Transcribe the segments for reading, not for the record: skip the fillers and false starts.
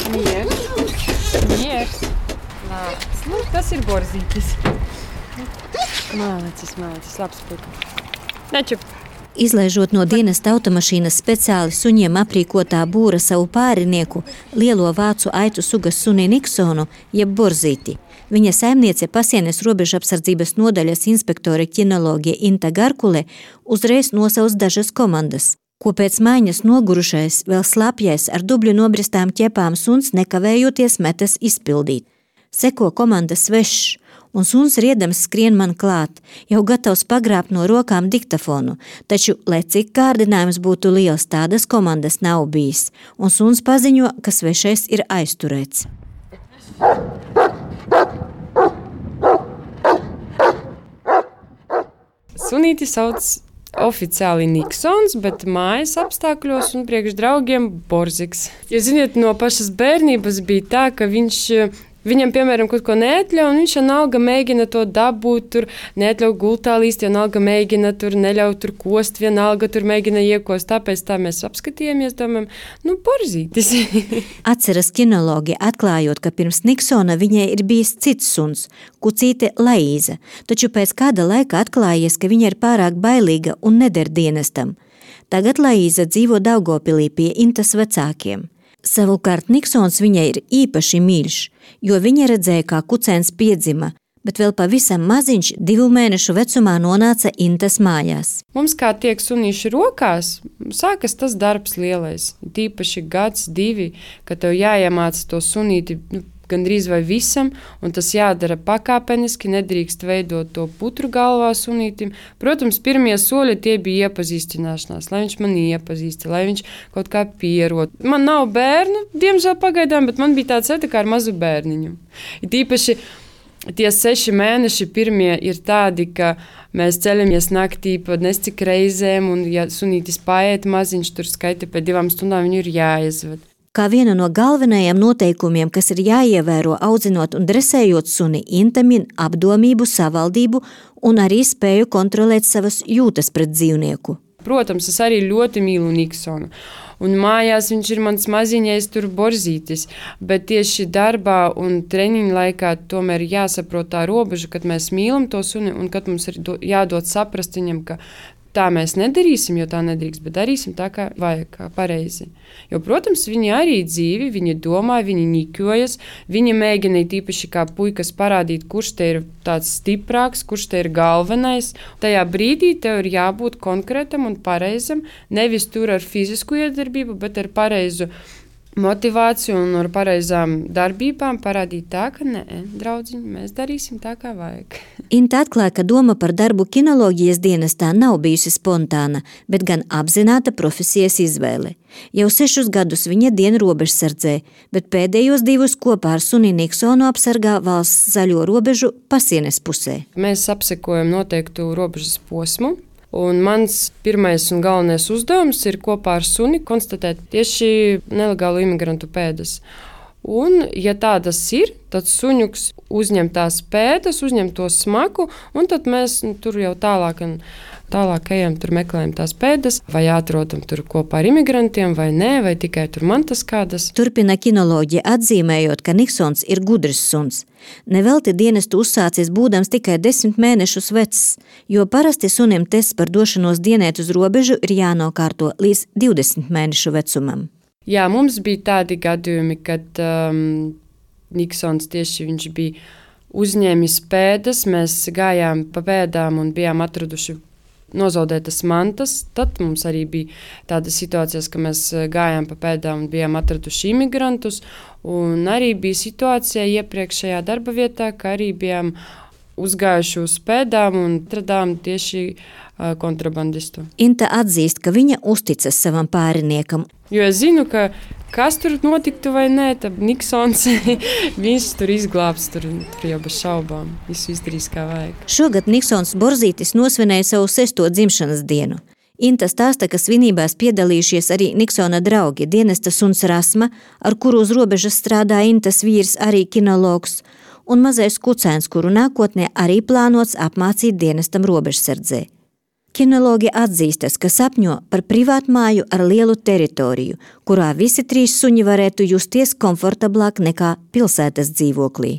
Miers. Lācis. Nu, tas ir borzītis. Mālicis, labs puika. Nečup. Izlaižot no dienesta automašīnas speciāli suņiem aprīkotā būra savu pārinieku, lielo vācu aitu sugas suni Niksonu, jeb borzīti. Viņa saimniece Pasienes robežapsardzības nodaļas inspektore ķinoloģija Inta Garkule uzreiz nosaus dažas komandas, ko pēc maiņas nogurušais, vēl slapjais ar dubļu nobristām ķepām suns nekavējoties metas izpildīt. Seko komanda svešs, un suns riedams skrien man klāt, jau gatavs pagrābt no rokām diktafonu, taču, lai cik kārdinājums būtu liels, tādas komandas nav bijis, un suns paziņo, ka svešais ir aizturēts. Sunīti sauc oficiāli Niksons, bet mājas apstākļos un priekš draugiem Borziks. Ja ziniet, no pašas bērnības bija tā, ka viņam, piemēram, kaut ko neatļauj, un viņš vienalga mēģina to dabūt, tur neatļauj gultā līst, vienalga mēģina tur neļauj tur kost, vienalga tur mēģina iekost. Tāpēc tā mēs apskatījāmies, domājam, borzītis. Atceras kinologi, atklājot, ka pirms Niksona viņai ir bijis cits suns, kucīte Laīza, taču pēc kāda laika atklājies, ka viņa ir pārāk bailīga un neder dienestam. Tagad Laīza dzīvo Daugavpilī pie Intas vecākiem. Savukārt Niksons viņai ir īpaši mīļš, jo viņa redzēja, kā kucēns piedzima, bet vēl pavisam maziņš 2 mēnešu vecumā nonāca Intas mājās. Mums kā tiek sunīši rokās, sākas tas darbs lielais, tīpaši 1, 2, kad tev jāiemāca to sunīti gandrīz vai visam, un tas jādara pakāpeniski, nedrīkst veidot to putru galvā sunītim. Protams, pirmie soļi tie bija iepazīstināšanās, lai viņš mani iepazīsta, lai viņš kaut kā pierod. Man nav bērnu, diemžēl pagaidām, bet man bija tāds kā ar mazu bērniņu. Tīpaši tie 6 mēneši pirmie ir tādi, ka mēs ceļamies naktī pa nescik reizēm, un ja sunītis paiet maziņš, tur skaita pēc 2 stundām viņu ir jāiezved. Kā vienu no galvenajiem noteikumiem, kas ir jāievēro audzinot un dresējot suni, Inta min apdomību, savaldību un arī spēju kontrolēt savas jūtas pret dzīvnieku. Protams, es arī ļoti mīlu Niksonu. Un mājās viņš ir mans maziņais tur borzītis, bet tieši darbā un treniņu laikā tomēr jāsaprot tā robeža, kad mēs mīlam to suni un kad mums ir jādod saprast viņam, ka tā mēs nedarīsim, jo tā nedrīkst, bet darīsim tā, kā vajag, kā pareizi. Jo, protams, viņi arī dzīvi, viņi domā, viņi ņikjojas, viņi mēģina tīpaši kā puikas parādīt, kurš te ir tāds stiprāks, kurš te ir galvenais. Tajā brīdī tev ir jābūt konkrētam un pareizam, nevis tur ar fizisku iedarbību, bet ar pareizu motivāciju un ar pareizām darbībām parādīt tā, ka nē, draudziņi, mēs darīsim tā, kā vajag. Inta atklāja, ka doma par darbu kinoloģijas dienestā nav bijusi spontāna, bet gan apzināta profesijas izvēle. Jau 6 gadus viņa dien robežsardzē, bet pēdējos 2 kopā ar suni Niksonu apsargā valsts zaļo robežu Pasienes pusē. Mēs apsekojam noteiktu robežas posmu. Un mans pirmais un galvenais uzdevums ir kopā ar suni konstatēt tieši nelegālu imigrantu pēdas. Un, ja tādas ir, tad suņuks uzņem tās pēdas, uzņem to smaku, un tad mēs tur jau tālāk ejam, tur meklējam tās pēdas, vai atrodam tur kopā ar imigrantiem, vai nē, vai tikai tur mantas kādas. Turpina kinoloģija, atzīmējot, ka Niksons ir gudrs suns. Nevelti dienestu uzsācies būdams tikai 10 mēnešus vecs, jo parasti sunim tests par došanos dienēt uz robežu ir jānokārto līdz 20 mēnešu vecumam. Jā, mums bija tādi gadījumi, kad Niksons tieši viņš bija uzņēmis pēdas, mēs gājām pa pēdām un bijām atraduši nozaudētas mantas. Tad mums arī bija tāda situācijas, ka mēs gājām pa pēdām un bijām atraduši imigrantus. Un arī bija situācija iepriekšējā darba vietā, ka arī bijām uzgājuši uz pēdām un atradām tieši kontrabandistu. Inta atzīst, ka viņa uzticas savam pāriniekam. Jo es zinu, ka kas tur notiktu vai nē, tad Niksons viņš tur izglābs, tur jau bez šaubām. Visu izdarīs kā vajag. Šogad Niksons borzītis nosvinēja savu 6. dzimšanas dienu. Inta stāsta, ka svinībās piedalījušies arī Niksona draugi, dienesta suns Rasma, ar kuru uz robežas strādā Intas vīrs, arī kinologs, un mazais kucēns, kuru nākotnē arī plānots apmācīt dienestam robežsardzē. Kinologi atzīstas, ka sapņo par privātmāju ar lielu teritoriju, kurā visi 3 suņi varētu justies komfortablāk nekā pilsētas dzīvoklī.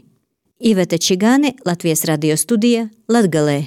Iveta Čigāne, Latvijas radio studija, Latgalē.